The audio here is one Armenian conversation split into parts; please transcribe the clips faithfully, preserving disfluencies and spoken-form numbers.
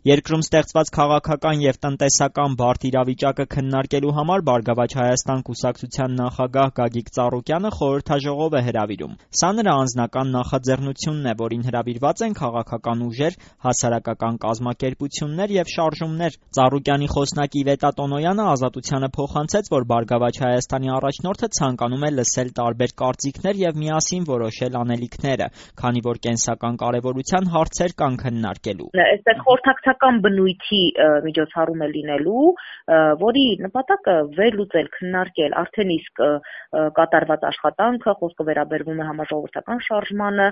Երկրում ստեղծված քաղաքական և տնտեսական բարդ իրավիճակը քննարկելու համար «Բարգավաճ Հայաստան» կուսակցության նախագահ Գագիկ Ծառուկյանը խորհրդաժողով է հրավիրում։ Սա նրա անձնական նախաձեռնությունն է, որին հրավիրված են քաղաքական ուժեր, հասարակական կազմակերպություններ և շարժումներ։ Ծառուկյանի խոսնակ Իվետա Տոնոյանը «Ազատությանը» փոխանցեց, որ «Բարգավաճ Հայաստանի» առաջնորդը ցանկանում է լսել տարբեր կարծիքներ և միասին որոշել անելիքները, քանի որ կենսական կարևորության հարցեր կան քննարկելու։ Այստեղ խորհրդակցական բնույթի միջոցառում է լինելու, որի նպատակը վերլուծել, քննարկել արդեն իսկ կատարված աշխատանքը, խոսքը վերաբերվում է համաժողովրդական շարժմանը,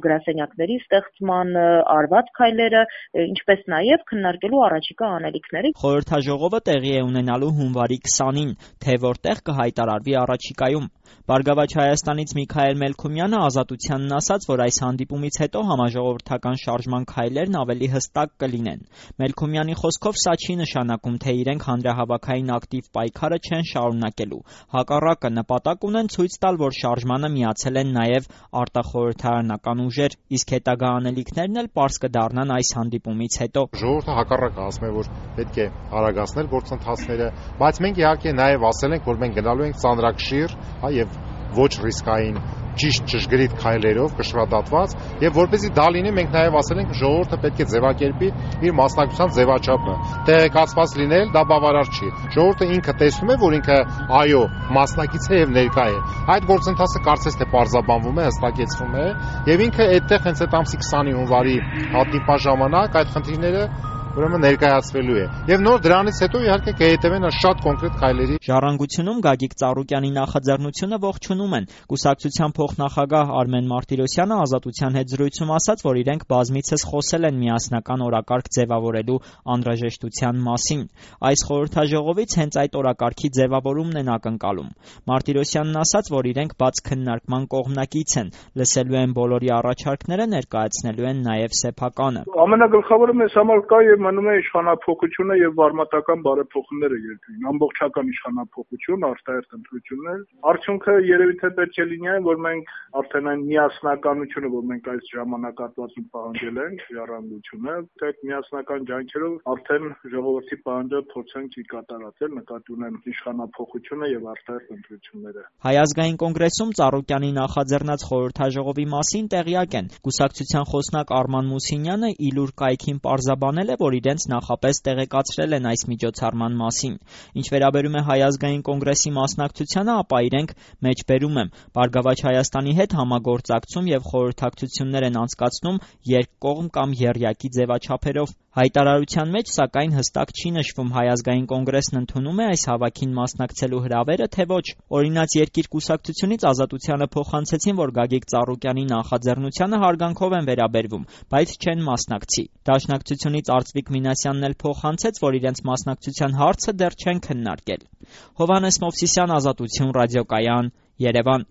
գրասենյակների ստեղծմանը, արված քայլերը, ինչպես նաև քննարկելու առաջիկա անելիքները։ Խորհրդաժողովը տեղի է ունենալու հունվարի քսանին, թե որտեղ կհայտարարվի առաջիկայում։ «Բարգավաճ Հայաստանից» Միքայել Մելքումյանը «Ազատությանն» ասաց, որ այս հանդիպումից հետո համաժողովրդական շարժման քայլերն ավելի հստակ կլինեն։ Մելքումյանի խոսքով սա չի նշանակում, թե իրենք հանրահավաքային ակտիվ պայքարը չեն շարունակելու։ Հակառակը, նպատակ ունեն ցույց տալ, որ շարժմանը միացել են նաև արտախորհրդարանական ուժեր, իսկ հետագա անելիքներն էլ պարզ կդառնան այս հանդիպումից հետո։ Ժողովուրդը հակառակը ասում է, որ պետք է արագացնել գործընթացները, բայց մենք իհարկե նաև ասել ենք, որ մենք գնալու ենք ծանրակշիռ եւ ոչ ռիսկային ճիշտ ճշգրիտ քայլերով կշռադատված, եւ որպեսզի դա լինի, մենք նաև ասել ենք, ժողովուրդը պետք է ձևակերպի իր մասնակցության ձևաչափը։ Տեղեկացված լինել դա բավարար չի։ Ժողովուրդը ինքը տեսնում է, որ ինքը այո, մասնակից է եւ ներկա է։ Այդ գործընթացը կարծես թե պարզաբանվում է, հստակեցվում է, եւ ինքը այդտեղ հենց այդ ամսի քսանի հունվարի հանդիպման ժամանակ այդ խնդիրները ուրեմն ներկայացվելու է։ Եվ նոր դրանից հետո իհարկե կհետևեն շատ կոնկրետ քայլերի։ Ժառանգությունում Գագիկ Ծառուկյանի նախաձեռնությունը ողջունում են։ Կուսակցության փոխնախագահ Արմեն Մարտիրոսյանը «Ազատության» հետ զրույցում ասաց, որ իրենք բազմիցս խոսել են միասնական օրակարգ ձևավորելու անհրաժեշտության մասին։ Այս խորհրդաժողովից հենց այդ օրակարգի ձևավորումն են ակնկալում։ Մարտիրոսյանն ասաց, որ իրենք բաց քննարկման կողմնակից են, լսելու են բոլորի առաջարկները, ներկայացնելու են նաև սեփականը։ Ամենագլխավորը մեզ համար կա եւ մնում է իշխանափոխությունը եւ վարմատական բարեփոխումները երկրին, ամբողջական իշխանափոխություն, արտահերթ ընտրություններ։ Արդյունքը երևի թե պետք է լինի այն, որ մենք արդեն այն միասնականությունը, որ մենք այս ժամանակահատվածում պահանջել ենք, ժառանգությունը, թե այդ միասնական ջանքերով արդեն ժողովրդի պահանջը փորձենք ի կատարածել, նկատի ունեմ իշխանափոխությունը եւ արտահերթ ընտրությունները։ Հայ ազգային կոնգրեսում Ծառուկյանի նախաձեռնած խորհրդաժողովի մասին տեղյակ են։ Կուսակցության խոսնակ Արման Մուսինյանը իլուր կայքին պարզաբանել է, որ իրենց նախապես տեղեկացրել են այս միջոցառման մասին։ Ինչ վերաբերում է Հայ ազգային կոնգրեսի մասնակցությանը, ապա իրենք մեջբերում եմ «Բարգավաճ Հայաստանի» հետ համագործակցում եւ խորհրդակցություններ են անցկացնում երկկողմ կամ եռյակի ձևաչափերով։ Հայտարարության մեջ, սակայն, հստակ չի նշվում Հայ ազգային կոնգրեսն ընդունում է այս հավաքին մասնակցելու հրավերը, թե ոչ։ Օրինաց երկիր կուսակցությունից «Ազատությանը» փոխանցեցին, որ Գագիկ Ծառուկյանի նախաձեռնությանը հարգանքով են վերաբերվում, բայց չեն մասնակցի։ Դաշնակցությունից Արծվիկ Մինասյանն էլ փոխանցեց, որ իրենց մասնակցության հարցը դեռ չեն քննարկել։ Հովհաննես Մովսիսյան, Ազատություն ռադիոկայան, Երևան։